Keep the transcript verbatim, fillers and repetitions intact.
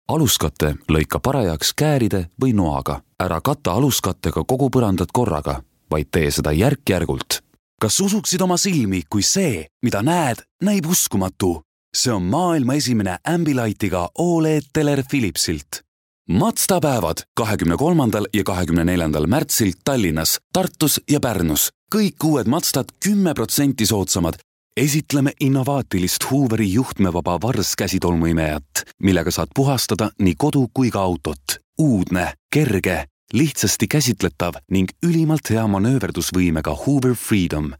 Aluskatte lõika parajaks kääride või noaga. Ära kata aluskattega kogu põrandat korraga, vaid tee seda järk-järgult. Kas usuksid oma silmi, kui see, mida näed, näib uskumatu? See on maailma esimene Ambilightiga O L E D teler Philipsilt. Mazda päevad kahekümne kolmandal ja kahekümne neljandal märtsil Tallinnas, Tartus ja Pärnus. Kõik uued Mazdad kümme protsenti soodsamad. Esitleme innovaatilist Hooveri juhtmevaba varskäsitolmuimejat, millega saad puhastada nii kodu kui ka autot. Uudne, kerge, lihtsasti käsitletav ning ülimalt hea manööverdusvõimega Hoover Freedom.